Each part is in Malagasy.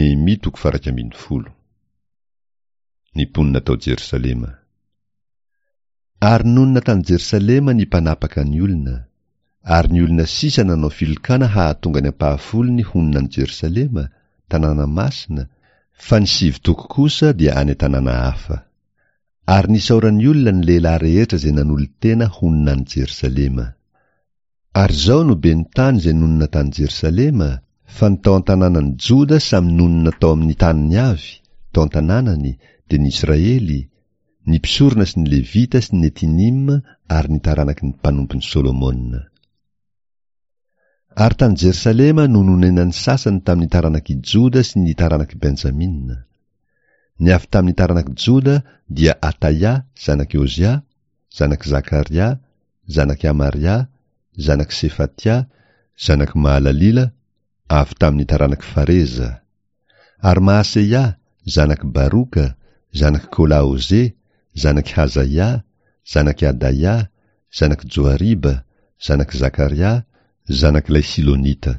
Nehemia toko faha 11. Ny mponina tao Jerosalema. Ary nonina tany Jerosalema ny mpanapaka ny olona, ary ny olona sisa nanao filokana hahatonga ny ampahafolony honina any Jerosalema, tanàna masina, fa ny sivy toko kosa dia any an-tanàna hafa. Ary nisaoran'ny olona ny lehilahy rehetra izay nanolo-tena honina any Jerosalema. Ary izao no ben'ny tany izay nonina tany Jerosalema, fa ny tao an-tanànan'i Joda samy nonina tao amin'ny taniny avy, tao an-tanànany, dia ny Israely, ny mpisorona sy ny Levita sy ny Netinima ary ny taranaky ny mpanompon'i Solomona. Ary tany Jerosalema no nonenan'ny sasany tamin'ny taranak'i Joda sy ny taranak'i Benjamina. Ny avy tamin'ny taranak'i Joda dia Ataia zanak'i Ozia, zanak'i Zakaria, zanak'i Amaria, zanak'i Sefatia, zanak'i Mahalalila, avy tamin'ny taranak'i Fareza. Ary Mahaseia, zanak'i Baroka, zanak'i Kolahoze, zanak'i Hazaia, zanak'i Adaia, zanak'i Joariba, zanak'i Zakaria, zanak'ilay Silonita.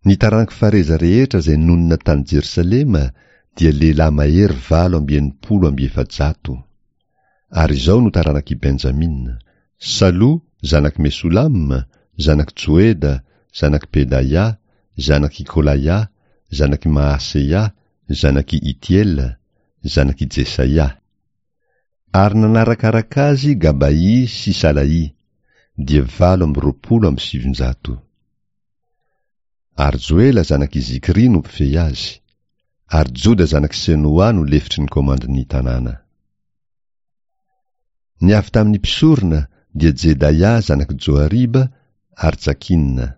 Ny taranak'i Fareza rehetra izay nonina tany Jerosalema dia lehilahy mahery 468. Ary izao no taranak'i Benjamina, Salo, zanak'i Mesolama, zanak'i Joeda, zanak'i Pedaia, zanak'i Kolaia, zanak'i Maaseia, zanak'i Itiela, zanak'i Jesaia. Ary nanarakaraka azy Gabaì sy Salaì, dia 928. Ary Joela zanak'i Zikry no mpifehy azy, ary Joda zanak'i Senoà no lefitry ny komandin'ny tanàna. Ny avy tamin'ny mpisorona dia Jedaia zanak'i Joariba ary Jakina.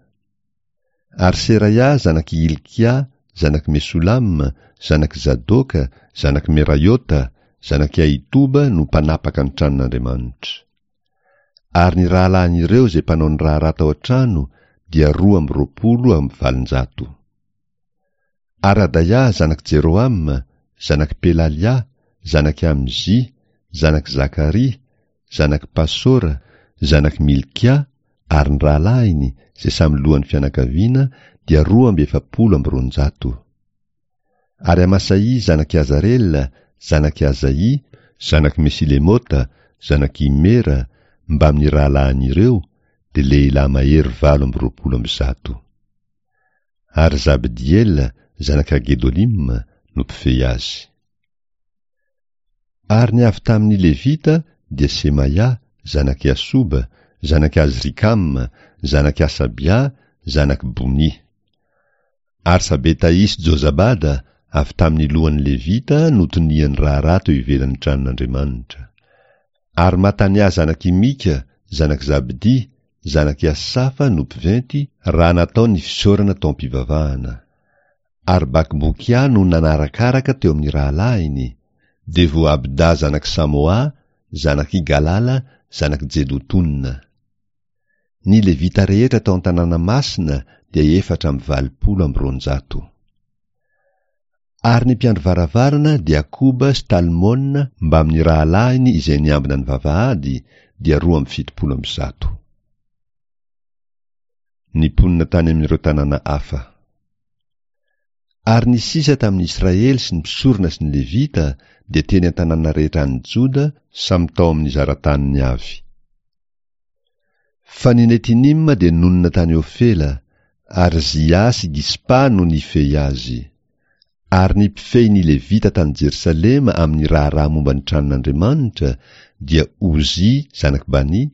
Ary Seraia zanak'i Hilkia zanak'i Mesolama zanak'i Zadoka zanak'i Meraiota zanak'i Ahitoba no mpanapaka ny tranon'Andriamanitra. Ary ny rahalahin'ireo izay mpanao ny raharaha tao an-trano dia 822. Ary Adaia zanak'i Jerohama, zanak'i Pelalia, zanak'i Amzia, zanak'i Zakaria, zanak'i Pasora, zanak'i Milkia, ary ny rahalahiny, izay samy lohan'ny fianakaviana, dia 242. Ary Amasaia zanak'i Azarela, zanak'i Azaia, zanak'i Mesilemota, zanak'i Imera, mbamin'ny rahalahin'ireo, dia lehilahy mahery 128. Ary Zabdiela, zanak'i Hagedolima, no mpifehy azy. Ary ny avy tamin'ny Levita dia Semaia, zanak'i Asoba, zanak'i Azrikama, zanak'i Asabia, zanak'i Bony. Ary Sabetaì sy Jozabada, avy tamin'ny lohan'ny Levita, no tonian'ny raharaha teo ivelan'ny tranon'Andriamanitra. Ary Matania zanak'i Mika, zanak'i Zabdy, zanak'i Asafa no mpiventy, raha natao ny fisaorana tao am-pivavahana. Ary Bakbokia no nanarakaraka teo amin'ny rahalahiny, dia Voabda zanak'i Samoà, zanak'i Galala, zanak'i Jedotona. Ny Levita rehetra tao an-tanàna masina dia 284. Ary ny mpiandry varavarana dia Akoba sy Talmona mbamin'ny rahalahiny izay niambina ny vavahady dia 172. Ny mponina tany amin'ireo tanàna hafa. Ary ny sisa tamin'ny Israely sy ny mpisorona sy ny Levita dia teny an-tanàna rehetra any Joda, samy tao amin'ny zara-taniny avy. Fa ny Netinima dia nonina tany Ofela, ary Zia sy Gispa no nifehy azy. Ary ny mpifehy ny Levita tany Jerosalema amin'ny raharaha momba ny tranon'Andriamanitra dia Ozia zanak'i Bani,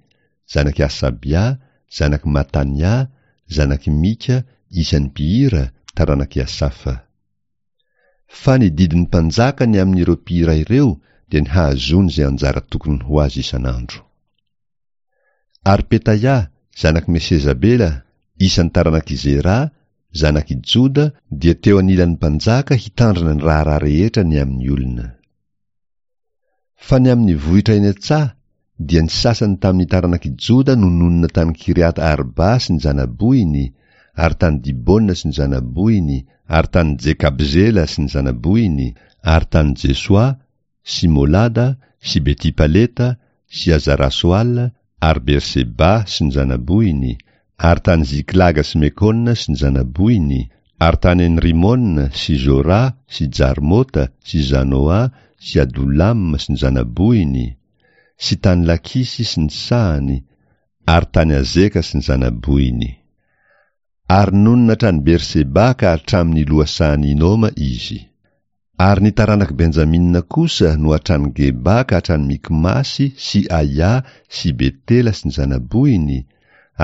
zanak'i Hasabia, zanak'i Matania, zanak'i Mika, isan'ny mpihira, taranak'i Asafa. Fa ny didin'ny mpanjaka ny amin'ireo mpihira ireo dia ny hahazoany izay anjara tokony ho azy isan'andro. Ary Petaia, zanak'i Mesezabela, isan'ny taranak'i Zera, zanak'i Joda, dia teo anilan'ny mpanjaka hitandrina ny raharaha rehetra ny amin'ny olona. Fa ny amin'ny vohitra eny an-tsaha, dia ny sasany tamin'ny taranak'i Joda no nonina tany Kiriata-Arba sy ny zana-bohiny, ary tany Dibona sy ny zana-bohiny, ary tany Jekabzela sy ny zana-bohiny, ary tany Jesoa, sy Molada, sy Beti-Paleta, sy Azara-Soala, ary Berseba sy ny zana-bohiny, ary tany Ziklaga sy Mekona sy ny zana-bohiny, Ary tany En-Rimona sy Zora sy Jarmota sy Zanoa sy Adolama sy ny zana-bohiny, sy tany Lakisy sy ny sahany, ary tany Azeka sy ny zana-bohiny. Ary nonina hatrany Berseba ka hatramin' ny lohasahan' i Hinoma izy. Ary ny taranak'i Benjamina kosa no hatrany Geba ka hatrany Mikmasy sy Aia sy Betela sy ny zana-bohiny,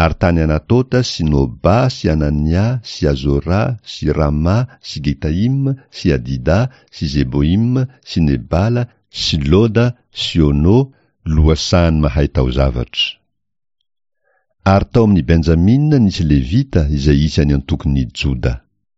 ary tany Anatota sy Noba sy Anania sy Azora sy Rama sy Gitaima sy Hadida sy Zeboima sy Nebala sy Loda sy Ono, lohasahan'ny mahay taozavatra. Ary tao amin'i Benjamina nisy Levita izay isan'ny antokon'i Joda.